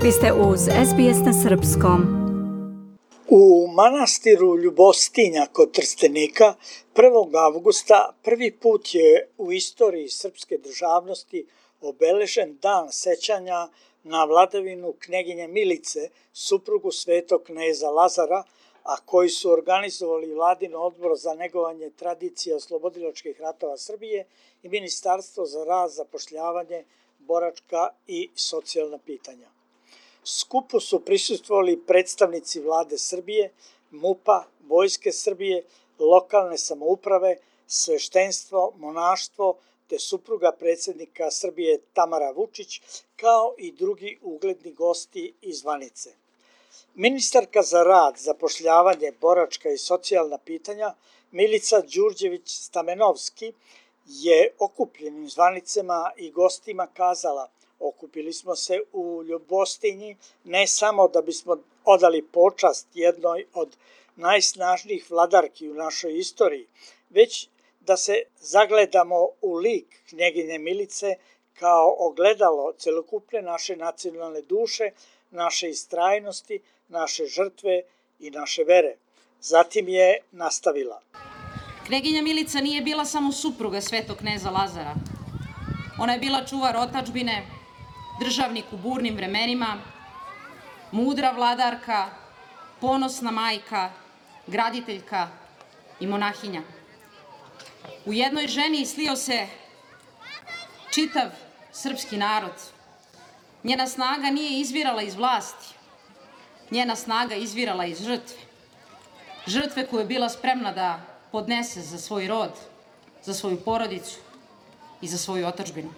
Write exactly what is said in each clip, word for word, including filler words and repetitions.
Vi ste uz S B S na srpskom. U manastiru Ljubostinja kod Trstenika prvog avgusta prvi put je u istoriji srpske državnosti obeležen dan sećanja na vladavinu knjeginje Milice, suprugu svetog kneza Lazara, a koji su organizovali Vladin odbor za negovanje tradicije oslobodilačkih ratova Srbije i Ministarstvo za rad, zapošljavanje, boračka i socijalna pitanja. Skupu su prisustvovali predstavnici Vlade Srbije, MUP-a, Vojske Srbije, lokalne samouprave, sveštenstvo, monaštvo te supruga predsjednika Srbije Tamara Vučić, kao i drugi ugledni gosti iz zvanice. Ministarka za rad, zapošljavanje, boračka i socijalna pitanja Milica Đurđević-Stamenovski je okupljenim zvanicama i gostima kazala: okupili smo se u Ljubostinji ne samo da bismo odali počast jednoj od najsnažnijih vladarki u našoj istoriji, već da se zagledamo u lik knjeginje Milice kao ogledalo celokupne naše nacionalne duše, naše istrajnosti, naše žrtve i naše vere. Zatim je nastavila. Knjeginja Milica nije bila samo supruga svetog kneza Lazara. Ona je bila čuvar otadžbine, državnik u burnim vremenima, mudra vladarka, ponosna majka, graditeljka i monahinja. U jednoj ženi slio se čitav srpski narod. Njena snaga nije izvirala iz vlasti, njena snaga izvirala iz žrtve. Žrtve koju je bila spremna da podnese za svoj rod, za svoju porodicu i za svoju otadžbinu.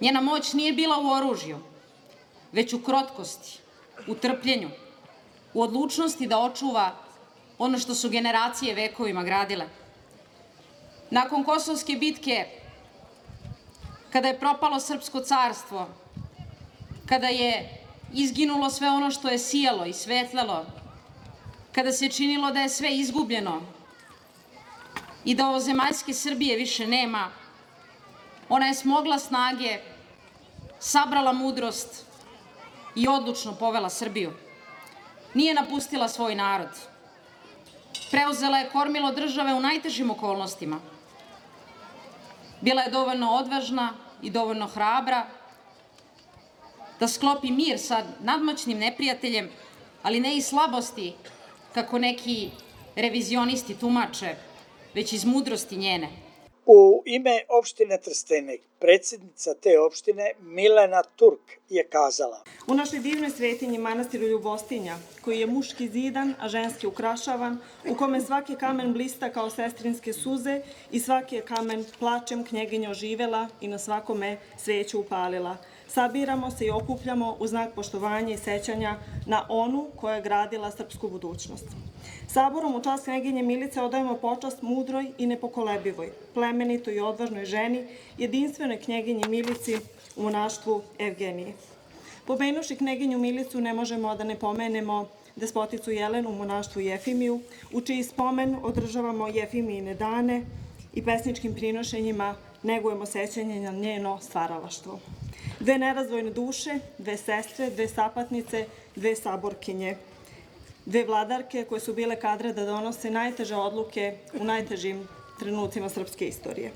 Njena moć nije bila u oružju, već u krotkosti, u trpljenju, u odlučnosti da očuva ono što su generacije vekovima gradile. Nakon Kosovske bitke, kada je propalo srpsko carstvo, kada je izginulo sve ono što je sijalo i svetlelo, kada se činilo da je sve izgubljeno i da ovozemaljske Srbije više nema, ona je smogla snage, sabrala mudrost i odlučno povela Srbiju. Nije napustila svoj narod. Preuzela je kormilo države u najtežim okolnostima. Bila je dovoljno odvažna i dovoljno hrabra da sklopi mir sa nadmoćnim neprijateljem, ali ne i slabosti, kako neki revizionisti tumače, već iz mudrosti njene. U ime opštine Trstenik, predsjednica te opštine Milena Turk je kazala: u našoj divnoj svetinji manastiru Ljubostinja, koji je muški zidan, a ženski ukrašavan, u kome svaki kamen blista kao sestrinske suze i svaki je kamen plačem knjeginja oživela i na svakome sveću upalila. Sabiramo se i okupljamo u znak poštovanja i sećanja na onu koja je gradila srpsku budućnost. Saborom u čast knjeginje Milice odajemo počast mudroj i nepokolebivoj, plemenitoj i odvažnoj ženi, jedinstvenoj knjeginji Milici u monaštvu Evgenije. Pomenuši knjeginju Milicu ne možemo da ne pomenemo despoticu Jelenu u monaštvu Jefimiju, u čiji spomen održavamo Jefimijine dane i pesničkim prinošenjima negujemo sećanje na njeno stvaralaštvo. Dve nerazdvojne duše, dve sestre, dve sapatnice, dve saborkinje, dve vladarke koje su bile kadre da donose najteže odluke u najtežim trenucima srpske istorije.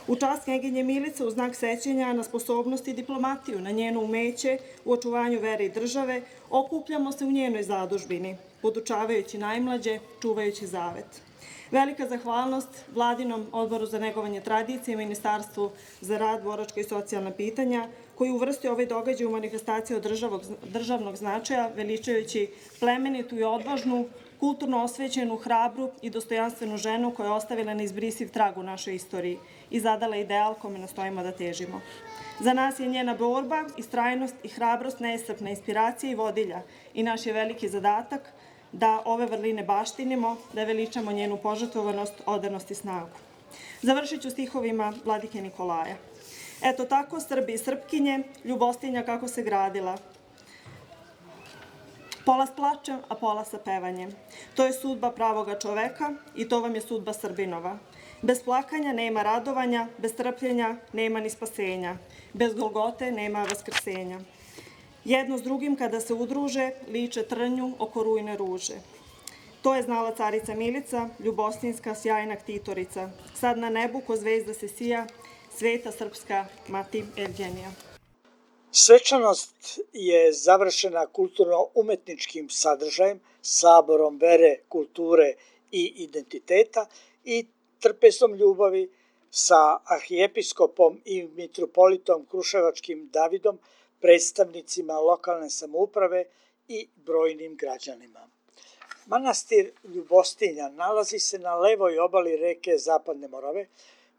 U čast knjeginje Milice u znak sećanja na sposobnost i diplomatiju, na njeno umeće u očuvanju vere i države, okupljamo se u njenoj zadužbini, podučavajući najmlađe, čuvajući zavet. Velika zahvalnost Vladinom odboru za negovanje tradicije i Ministarstvu za rad, boračka i socijalna pitanja, koji uvrstio ovaj događaj u manifestaciju državnog značaja, veličajući plemenitu i odvažnu, kulturno osvećenu, hrabru i dostojanstvenu ženu koja je ostavila neizbrisiv trag u našoj istoriji i zadala ideal kome nastojimo da težimo. Za nas je njena borba, istrajnost i hrabrost neiscrpna inspiracija i vodilja i naš je veliki zadatak da ove vrline baštinimo, da veličamo njenu požrtvovanost, odanost i snagu. Završit ću stihovima vladike Nikolaja. Eto tako, Srbi i Srpkinje, Ljubostinja kako se gradila. Pola s plačem, a pola sa pevanjem. To je sudba pravoga čoveka i to vam je sudba Srbinova. Bez plakanja nema radovanja, bez trpljenja nema ni spasenja. Bez Golgote nema vaskrsenja. Jedno s drugim kada se udruže, liče trnju oko rujne ruže. To je znala carica Milica, ljubostinska sjajna ktitorica. Sad na nebu ko zvezda se sija, sveta srpska mati Evgenija. Svečanost je završena kulturno-umetničkim sadržajem, saborom vere, kulture i identiteta i trpesom ljubavi sa arhijepiskopom i mitropolitom kruševačkim Davidom, predstavnicima lokalne samouprave i brojnim građanima. Manastir Ljubostinja nalazi se na levoj obali reke Zapadne Morave,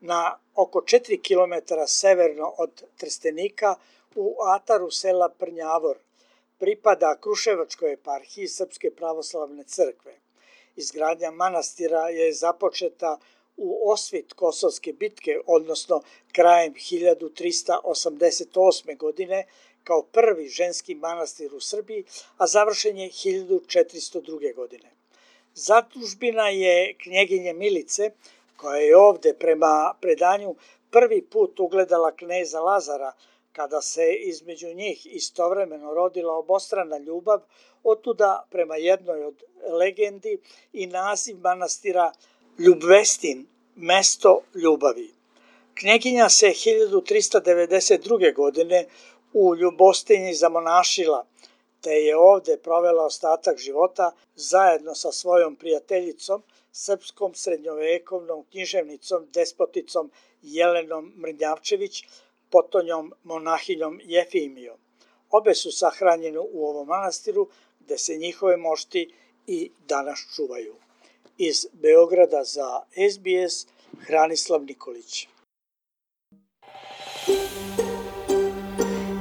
na oko četiri kilometra severno od Trstenika u ataru sela Prnjavor. Pripada Kruševačkoj eparhiji Srpske pravoslavne crkve. Izgradnja manastira je započeta u osvit Kosovske bitke, odnosno krajem hiljadu trista osamdeset osme. godine, kao prvi ženski manastir u Srbiji, a završen je hiljadu četiristo druge. godine. Zadužbina je knjeginje Milice, koja je ovde prema predanju prvi put ugledala kneza Lazara, kada se između njih istovremeno rodila obostrana ljubav, otuda prema jednoj od legendi i naziv manastira Ljubvestin, mesto ljubavi. Knjeginja se hiljadu trista devedeset druge. godine u Ljubostinji zamonašila, te je ovde provela ostatak života zajedno sa svojom prijateljicom, srpskom srednjovekovnom književnicom, despoticom Jelenom Mrnjavčević, potonjom monahinjom Jefimijom. Obe su sahranjene u ovom manastiru, gde se njihove mošti i danas čuvaju. Iz Beograda za S B S, Hranislav Nikolić.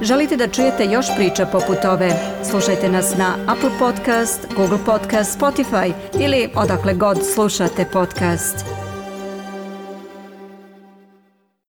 Želite da čujete još priča poput ove? Slušajte nas na Apple Podcast, Google Podcast, Spotify ili odakle god slušate podcast.